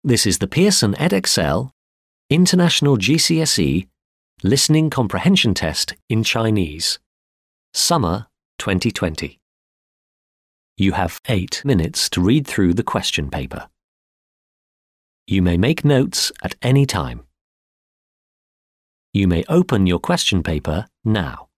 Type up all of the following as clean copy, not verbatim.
This is the Pearson Edexcel International GCSE Listening Comprehension Test in Chinese, Summer 2020. You have 8 minutes to read through the question paper. You may make notes at any time. You may open your question paper now.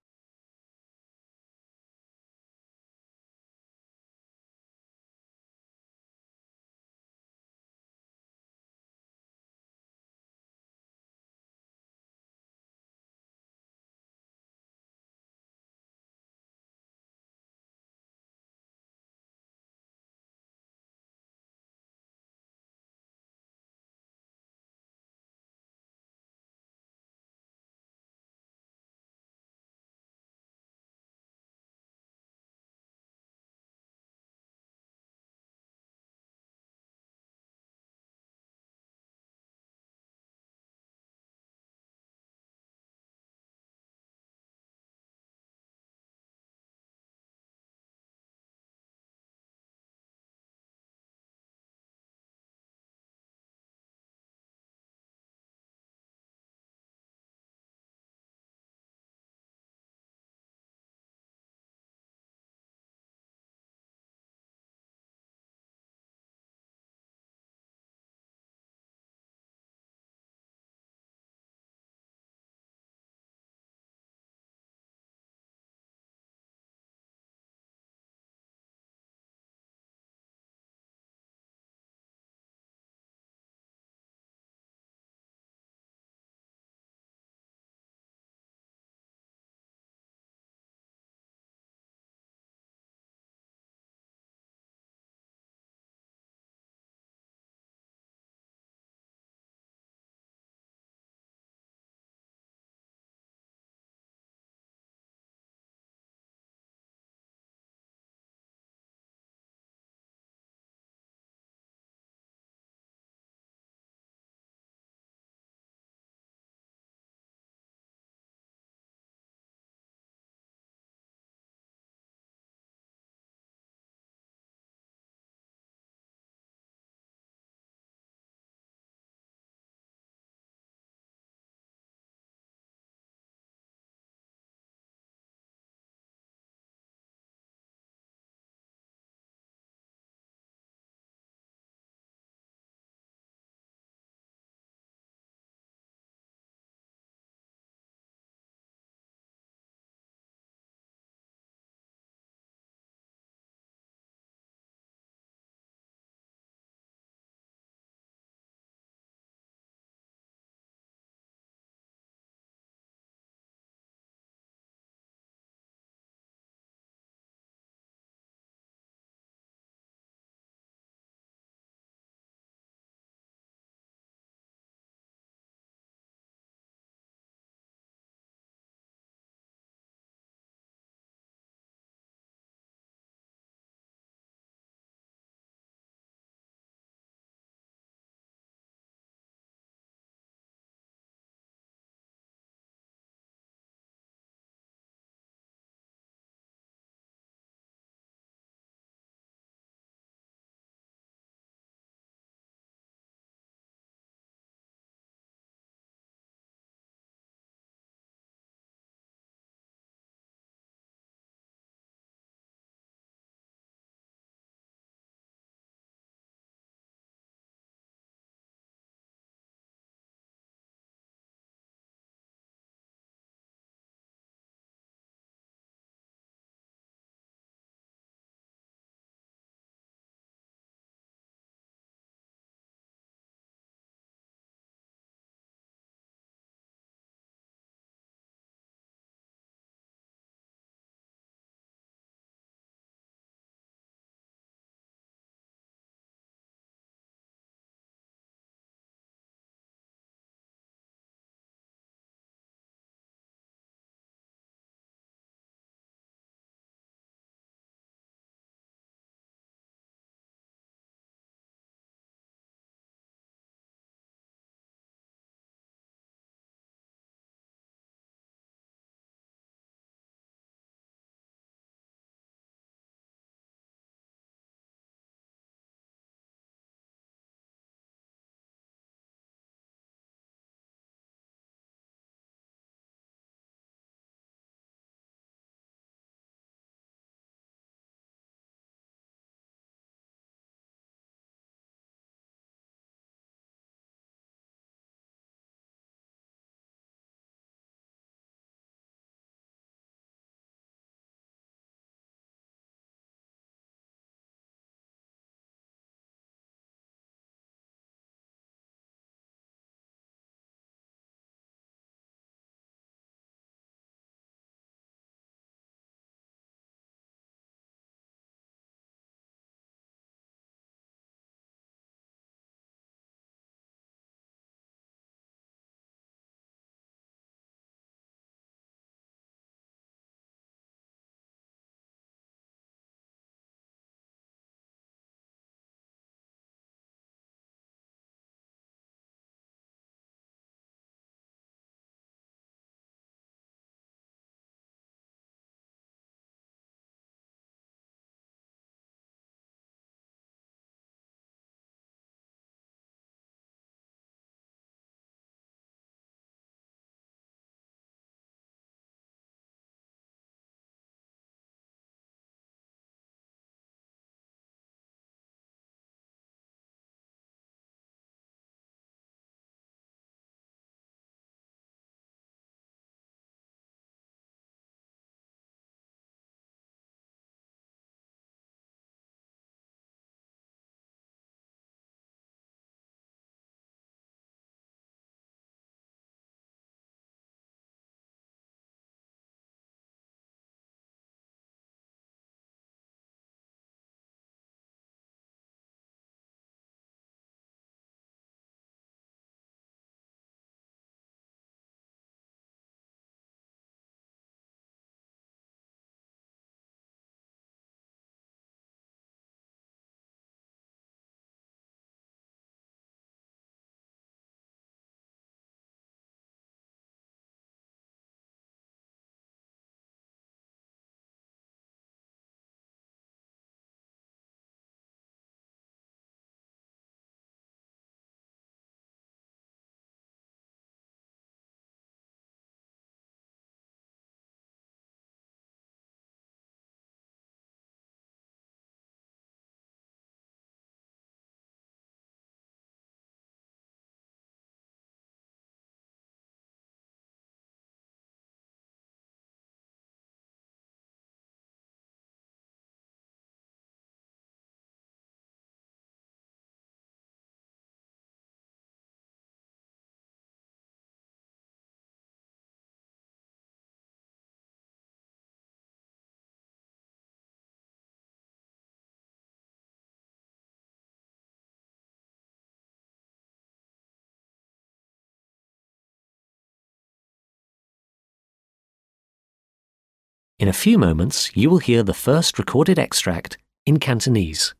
In a few moments, you will hear the first recorded extract in Cantonese.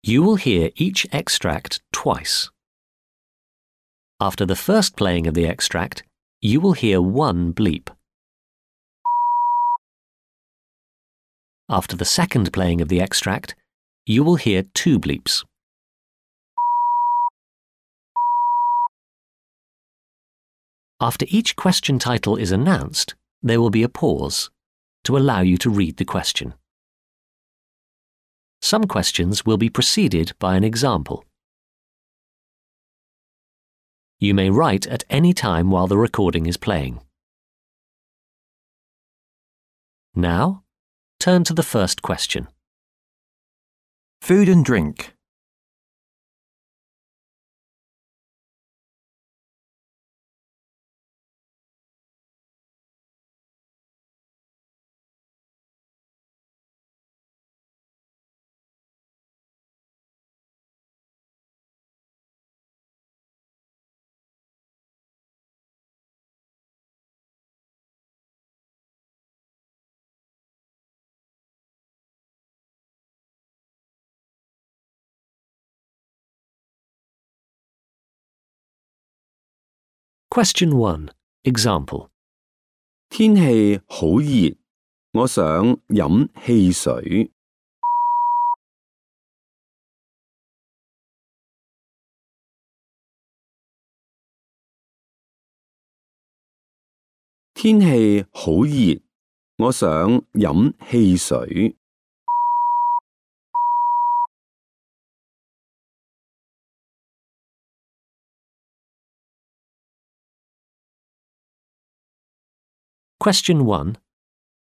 You will hear each extract twice. After the first playing of the extract, you will hear one bleep. After the second playing of the extract, you will hear two bleeps. After each question title is announced, there will be a pause to allow you to read the question. Some questions will be preceded by an example. You may write at any time while the recording is playing. Now, turn to the first question. Food and drink. Question 1. Example. 天氣好熱，我想飲汽水。天氣好熱，我想飲汽水。Question 1.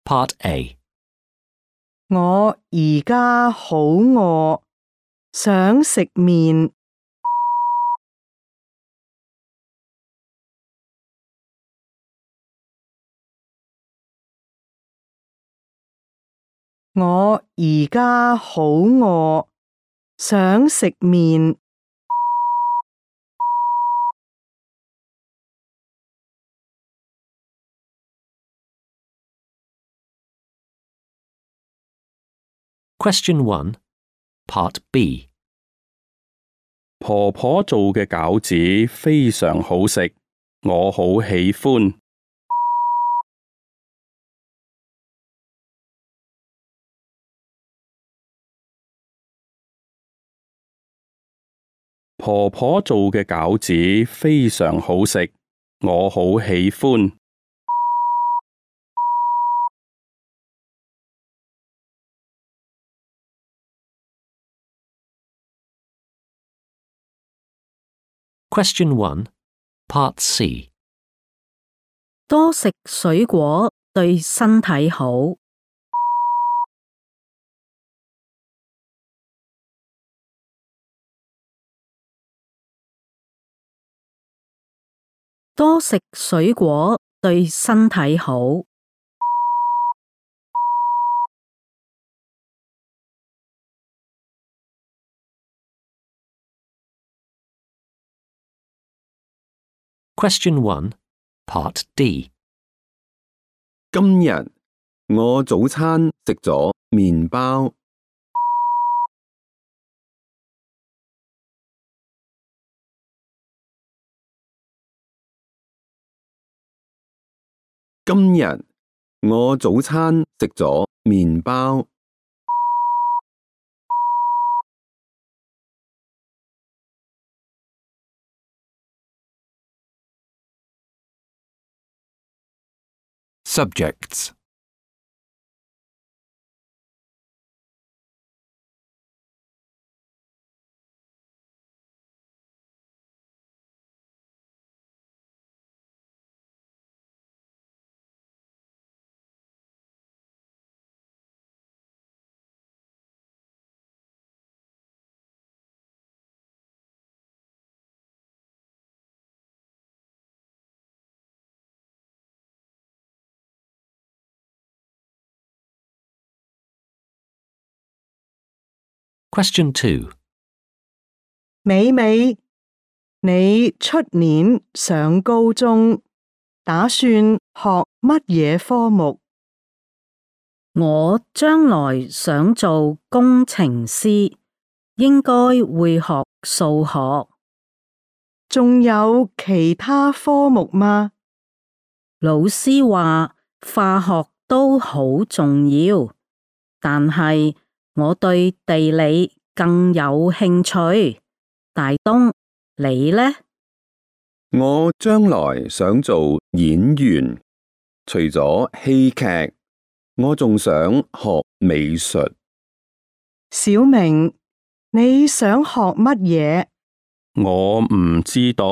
Part A. 我而家好餓，想食麵。我而家好餓，想食麵。Question 1. Part B. 婆婆做嘅餃子非常好食，我好喜歡。婆婆做嘅餃子非常好食，我好喜歡。Question 1. Part C. 多食水果對身體好。多食水果對身體好。Question 1. Part D. 今日我早餐食咗麵包。今日我早餐食咗麵包。Subjects. Question 2. 美美，你出年上高中，打算學乜嘢科目？我將來想做工程師，應該會學數學。仲有其他科目嗎？老師話化學都好重要，但係我對地理更有興趣。大東，你呢？我將來想做演員，除咗戲劇，我仲想學美術。小明，你想學乜嘢？我唔知道。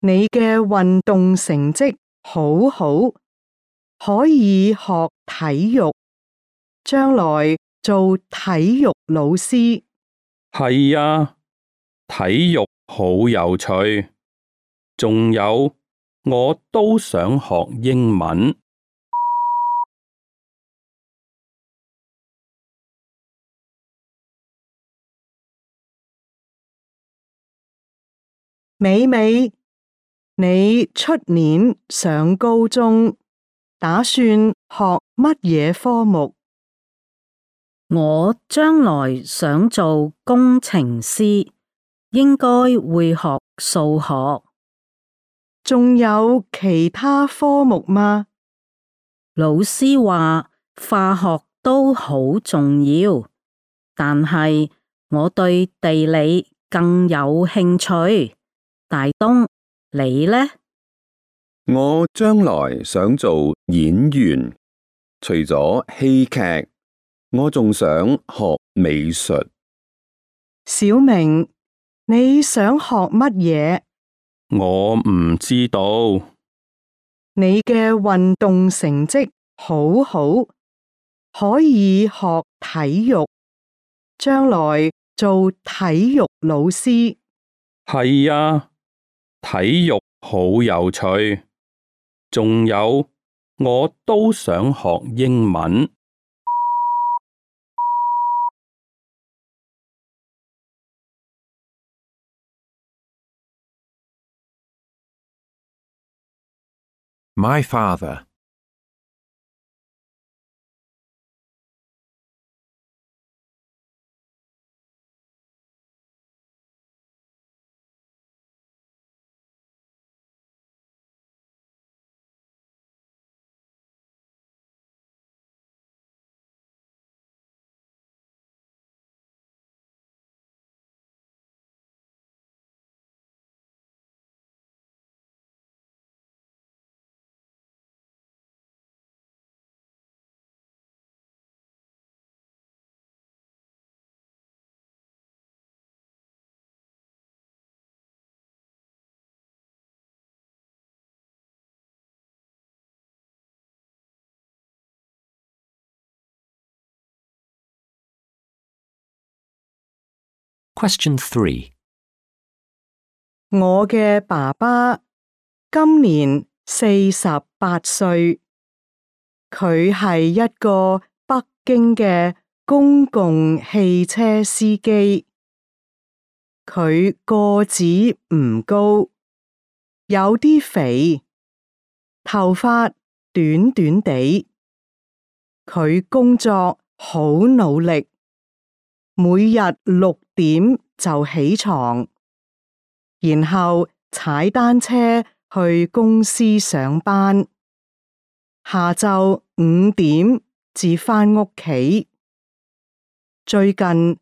你嘅運動成績好好，可以學體育，將來做體育老師。係啊，體育好有趣。仲有，我都想學英文。美美，你出年上高中，打算學乜嘢科目？我將來想做工程師，應該會學數學。仲有其他科目嗎？老師話化學都好重要，但係我對地理更有興趣。大東，你呢？我將來想做演員，除咗戲劇，我仲想學美術。小明，你想學乜嘢？我唔知道。你嘅運動成績好好，可以學體育，將來做體育老師。係啊，體育好有趣。仲有，我都想學英文。My father. Question 3. 我嘅爸爸今年48歲，佢係一個北京嘅公共汽車司機。佢個子唔高，有啲肥，頭髮短短地。佢工作好努力，每日6點就起床，然後踩單車去公司上班，下晝5點至返屋企。最近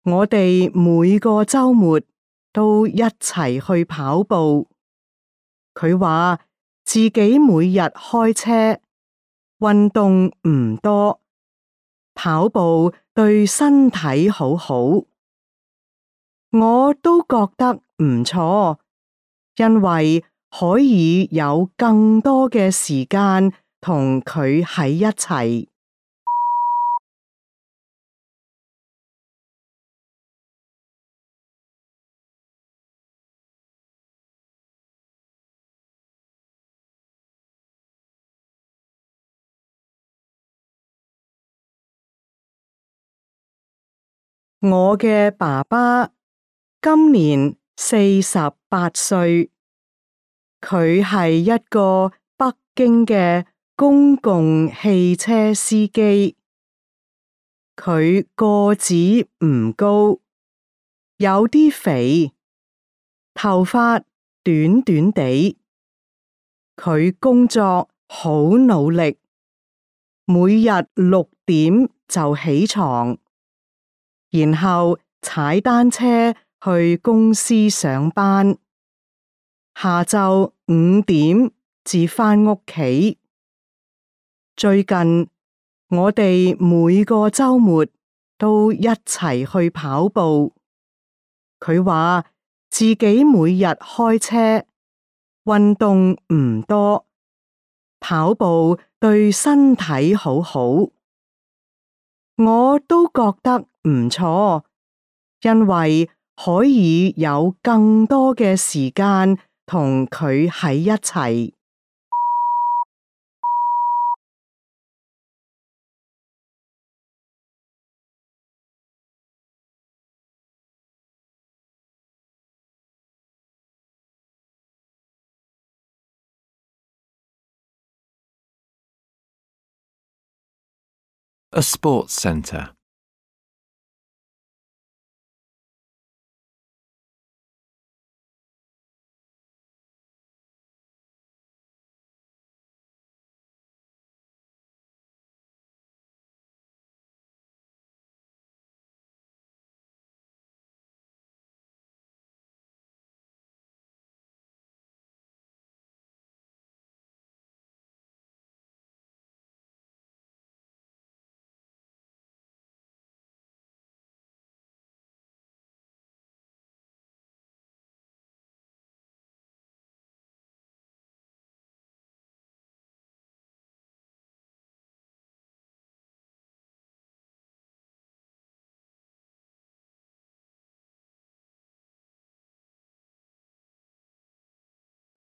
我哋每個週末都一齊去跑步。佢話自己每日開車，運動唔多，跑步對身體好好。我都覺得唔錯，因為可以有更多嘅時間同佢喺一齊。我嘅爸爸今年48歲，佢係一個北京嘅公共汽車司機。佢個子唔高，有啲肥，頭髮短短地。佢工作好努力，每日6點就起床，然後踩單車去公司上班，下晝5點至返屋企。最近我哋每個週末都一齊去跑步。佢話自己每日開車，運動唔多，跑步對身體好好。我都覺得唔錯，因為可以有更多嘅時間同佢喺一齊。A sports centre.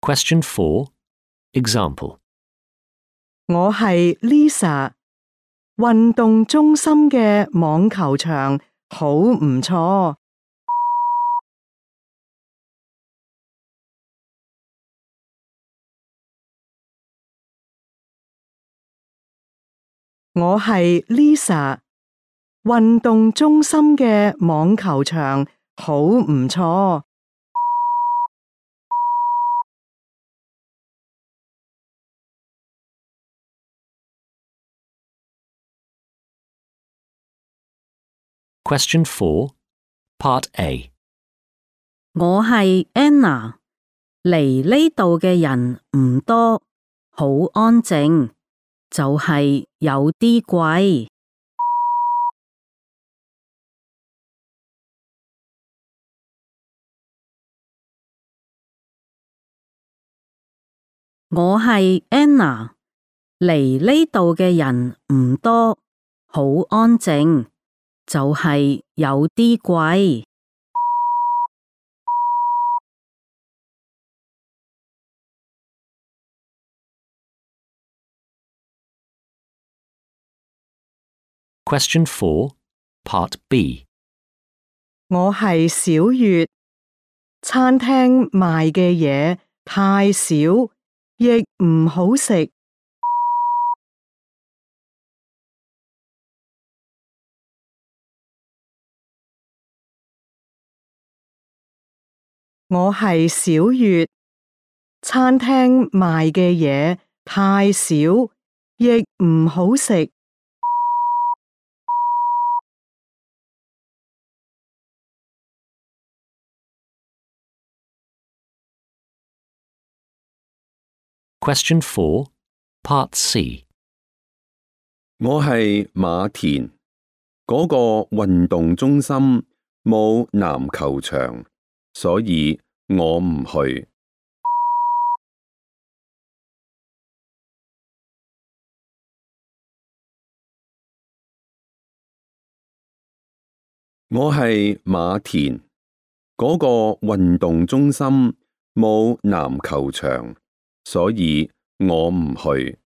Question 4. Example. 我係 Lisa， 運動中心嘅網球場好唔錯。我係 Lisa， 運動中心嘅網球場好唔錯。Question 4. Part A. 我係 Anna， 嚟呢度嘅人唔多，好安靜，就係有啲貴。我係 Anna， 嚟呢度嘅人唔多，好安靜，就係有啲貴。Question 4. Part B. 我係小月，餐廳賣嘅嘢太少，亦唔好食。我係小月，餐廳賣嘅嘢太少，亦唔好食。Question 4. Part C. 我係馬田，嗰個運動中心冇籃球場，所以我唔去。我係馬田，嗰個運動中心冇籃球場，所以我唔去。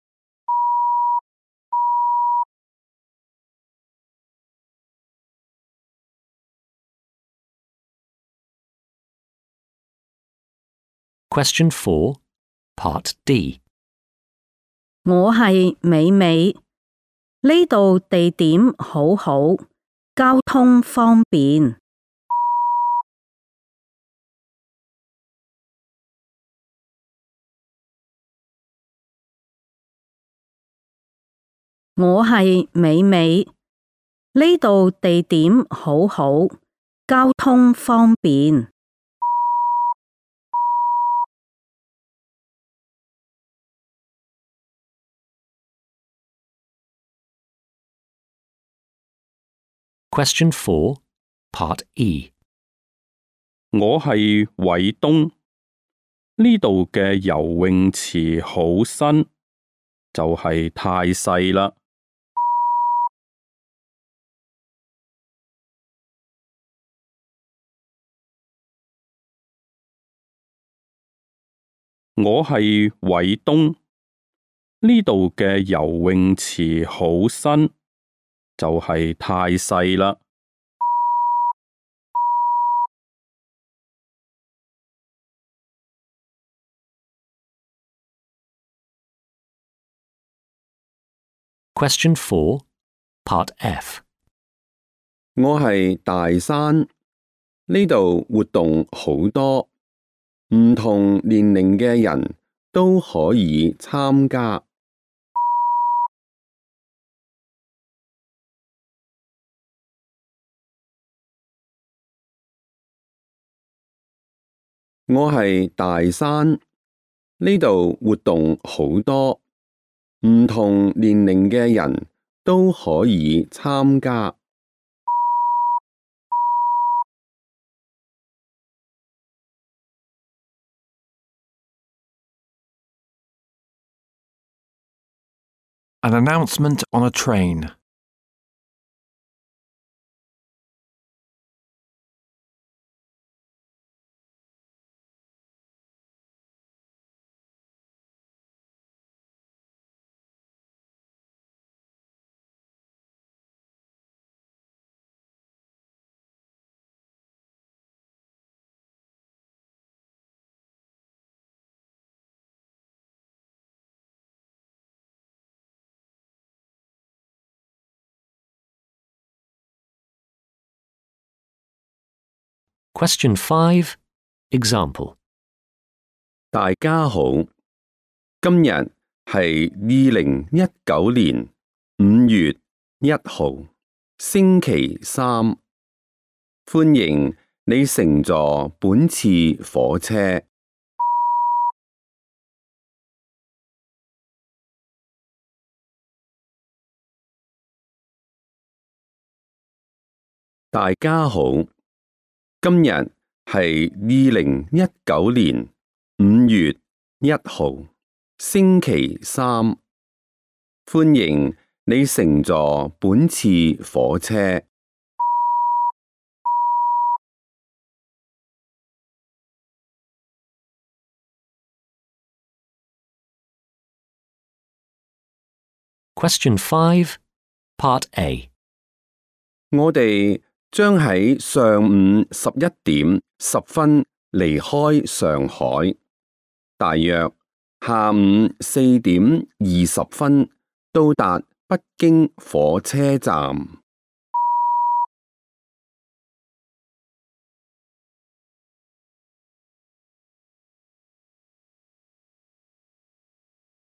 Question 4. Part D. 我係美美，呢度地點好好，交通方便。我係美美，呢度地點好好，交通方便。Question 4, Part E. 我係偉東，呢度嘅游泳池好新，就係太細啦。我係偉東，呢度嘅游泳池好新，就係太細啦。Question 4, Part F. 我係大山，呢度活動好多，唔同年齡嘅人都可以參加。我係大山，呢度活動好多，唔同年齡嘅人都可以參加。An announcement on a train. Question 5, Example. 大家好，今日係2019年5月1號，星期三。歡迎你乘坐本次火車。大家好，今日係2019年5月1號，星期三。歡迎你乘坐本次火車。Question 5, Part A. 我哋將喺上午11:10離開上海，大約下午4:20到達北京火車站。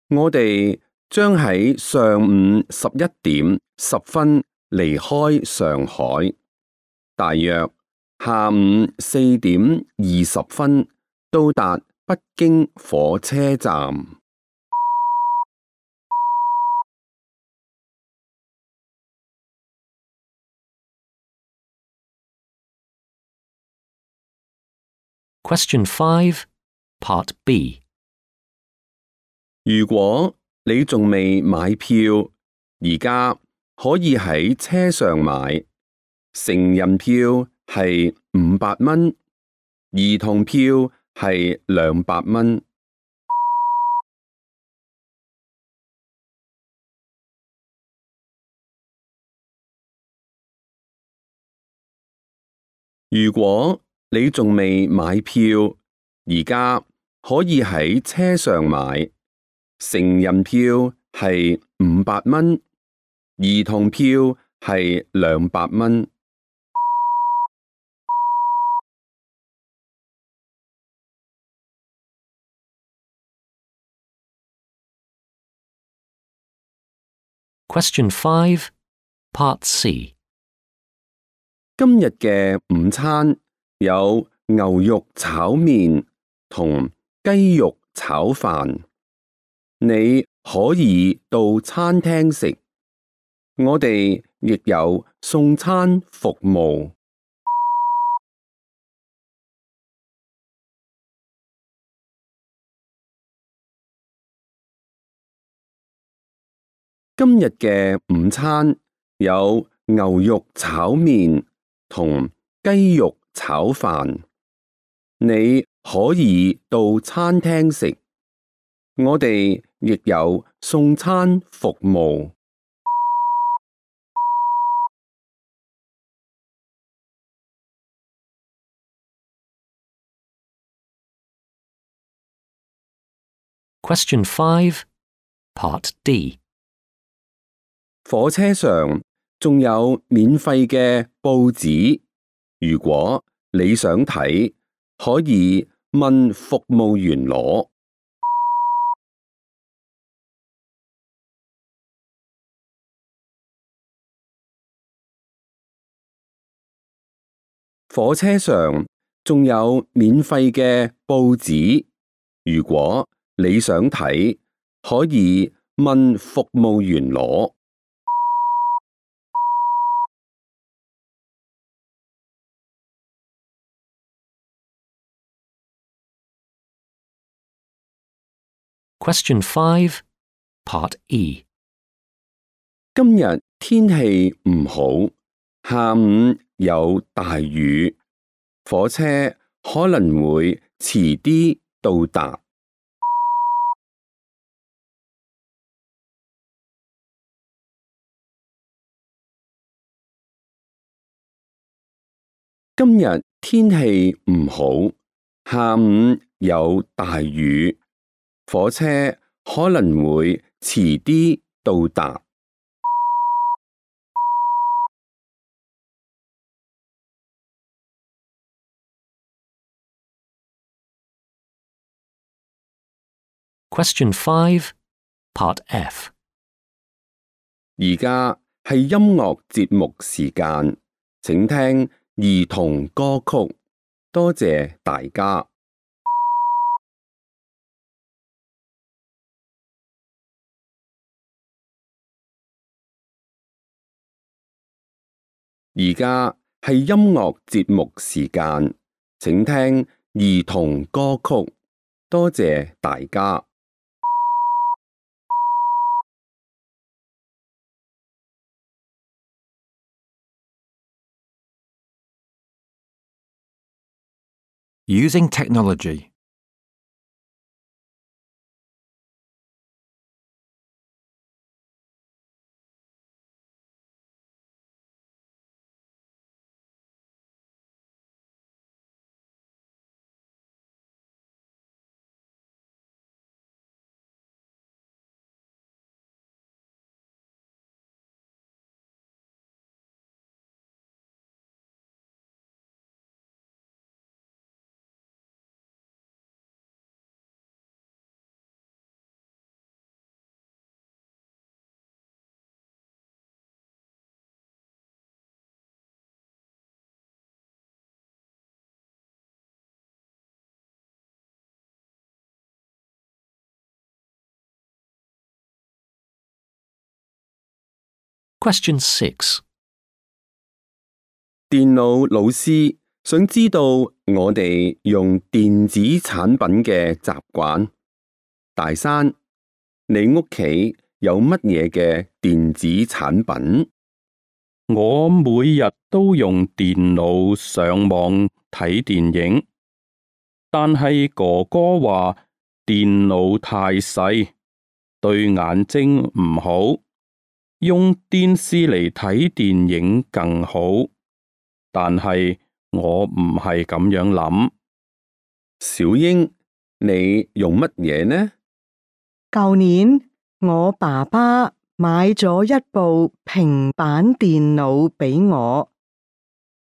我哋將喺上午11:10離開上海，大約下午4:20到達北京火車站。Question 5, Part B. 如果你仲未買票，而家可以喺車上買。成人票係500蚊，兒童票係200蚊。如果你仲未買票，而家可以喺車上買。成人票係500蚊，兒童票係200蚊。Question 5, Part C. 今日嘅午餐有牛肉炒麵同雞肉炒飯，你可以到餐廳食，我哋亦有送餐服務。今日嘅午餐有牛肉炒麵同雞肉炒飯，你可以到餐廳食，我哋亦有送餐服務。Question 5, Part D. 火車上仲有免費嘅報紙，如果你想睇，可以問服務員攞。火車上仲有免費嘅報紙，如果你想睇，可以問服務員攞。Question 5, Part E. 今日天氣唔好，下午有大雨，火車可能會遲啲到達。今日天氣唔好，下午有大雨，火車可能會遲啲到達。Question 5, Part F. 而家係音樂節目時間，請聽兒童歌曲，多謝大家。而家係音樂節目時間，請聽兒童歌曲，多謝大家。Using technology. Question 6. 電腦老師想知道我哋用電子產品嘅習慣。大山，你屋企有乜嘢嘅電子產品？我每日都用電腦上網睇電影，但係哥哥話電腦太細，對眼睛唔好，用電視嚟睇電影更好。但係我唔係咁樣諗。小英，你用乜嘢呢？舊年我爸爸買咗一部平板電腦俾我，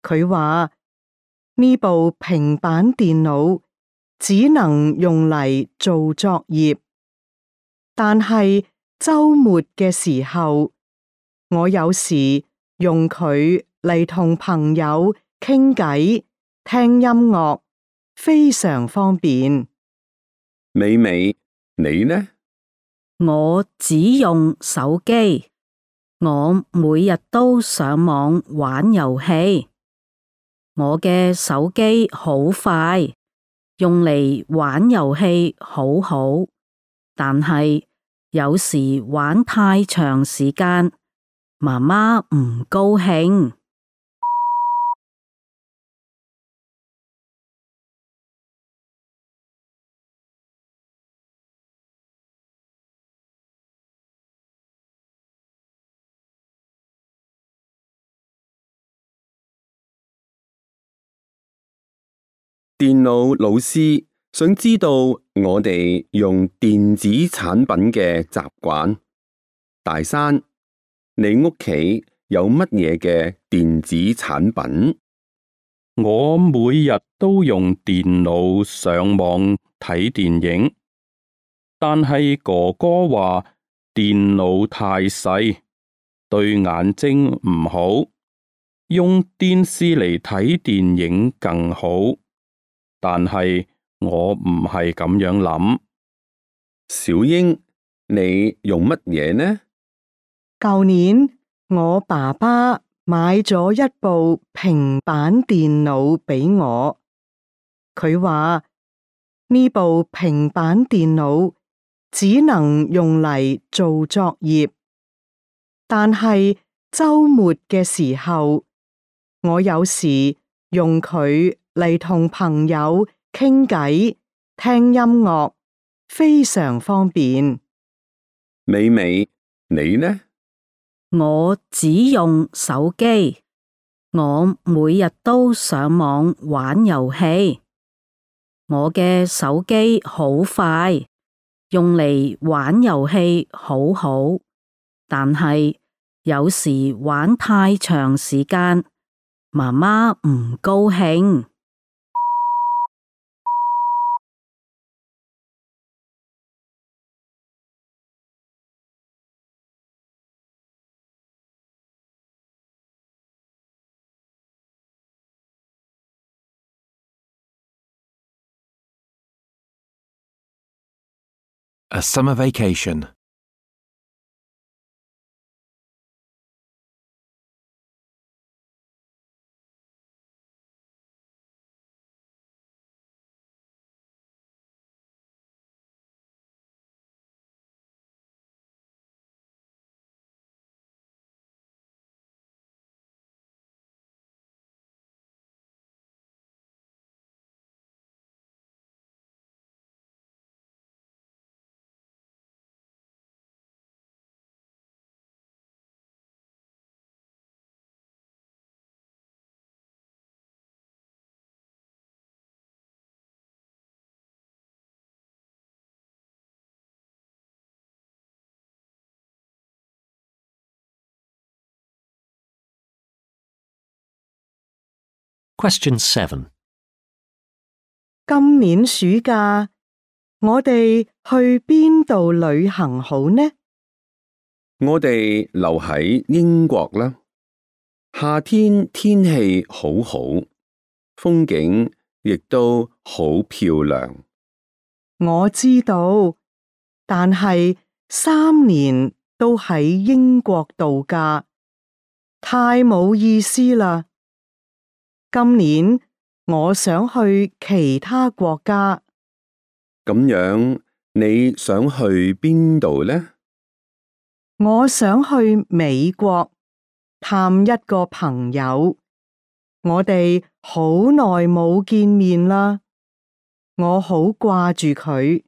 佢話呢部平板電腦只能用嚟做作業，但係週末嘅時候，我有時用佢嚟同朋友傾偈、聽音樂，非常方便。美美，你呢？我只用手機，我每日都上網玩遊戲。我嘅手機好快，用嚟玩遊戲好好，但係有時玩太長時間，媽媽唔高興。電腦老師想知道我哋用電子產品嘅習慣。大山，你屋企有乜嘢嘅電子產品？我每日都用電腦上網睇電影，但係哥哥話電腦太細，對眼睛唔好，用電視嚟睇電影更好。但係我唔係咁樣諗。小英，你用乜嘢呢？舊年我爸爸買咗一部平板電腦俾我，佢話呢部平板電腦只能用嚟做作業，但係週末嘅時候，我有時用佢嚟同朋友傾偈、聽音樂，非常方便。美美，你呢？我只用手機，我每日都上網玩遊戲。我嘅手機好快，用嚟玩遊戲好好，但係有時玩太長時間，媽媽唔高興。A summer vacation. Question 7. 今年暑假，我哋去邊度旅行好呢？我哋留喺英國啦。夏天天氣好好，風景亦都好漂亮。我知道，但係3年都喺英國度假，太冇意思啦。今年我想去其他國家。咁樣，你想去邊度呢？我想去美國探一個朋友，我哋好耐冇見面啦，我好掛住佢。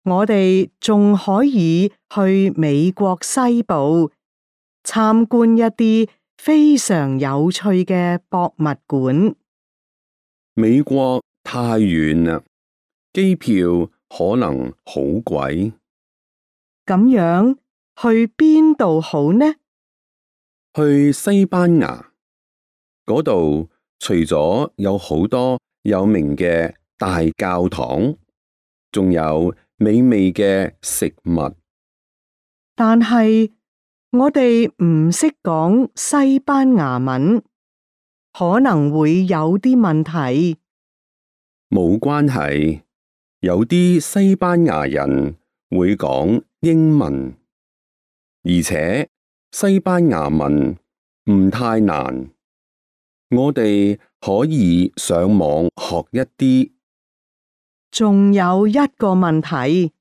我哋仲可以去美國西部參觀一啲非常有趣嘅博物館。美國太遠啦，機票可能好貴。咁樣去邊度好呢？去西班牙嗰度，除咗有好多有名嘅大教堂，仲有美味嘅食物。但係我哋唔識講西班牙文，可能會有啲問題。冇關係，有啲西班牙人會講英文，而且西班牙文唔太難，我哋可以上網學一啲。仲有一個問題，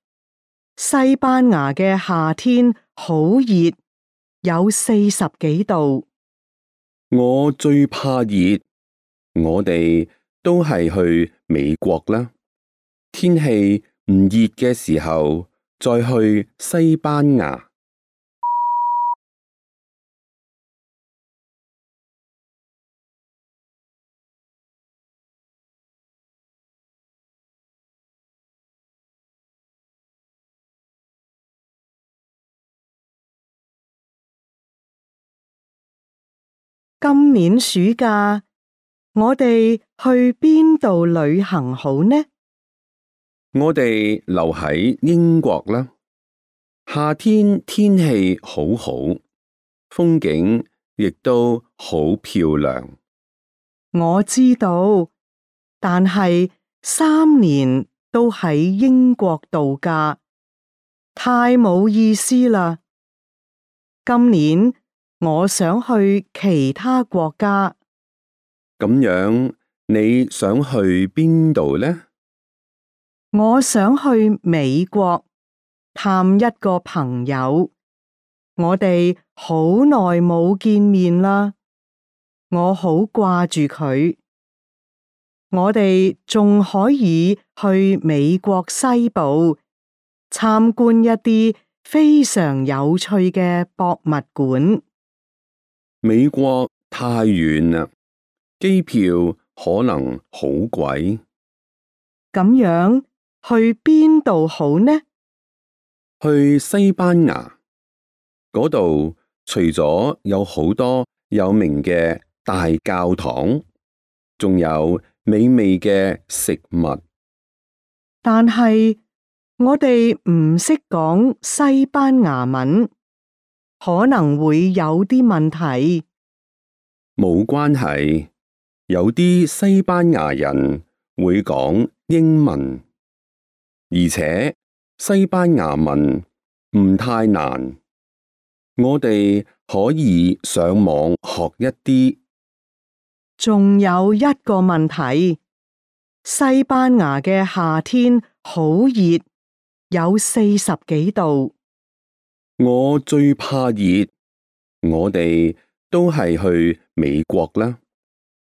西班牙嘅夏天好熱，有40幾度。我最怕熱，我哋都係去美國啦。天氣唔熱嘅時候，再去西班牙。今年暑假，我哋去邊度旅行好呢？我哋留喺英國啦。夏天天氣好好，風景亦都好漂亮。我知道，但係3年都喺英國度假，太冇意思啦。今年我想去其他國家。咁樣，你想去邊度呢？我想去美國探一個朋友，我哋好耐冇見面啦，我好掛住佢。我哋仲可以去美國西部參觀一啲非常有趣嘅博物館。美國太遠啦，機票可能好貴。咁樣去邊度好呢？去西班牙嗰度，除咗有好多有名嘅大教堂，仲有美味嘅食物。但係我哋唔識講西班牙文，可能會有啲問題。冇關係，有啲西班牙人會講英文，而且西班牙文唔太難，我哋可以上網學一啲。仲有一個問題，西班牙嘅夏天好熱，有40幾度。我最怕熱，我哋都係去美國啦。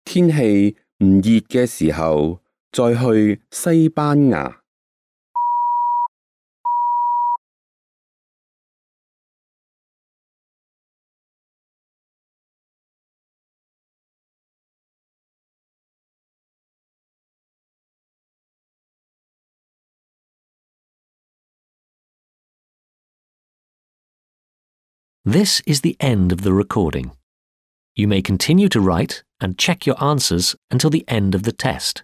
天氣唔熱嘅時候，再去西班牙。This is the end of the recording. You may continue to write and check your answers until the end of the test.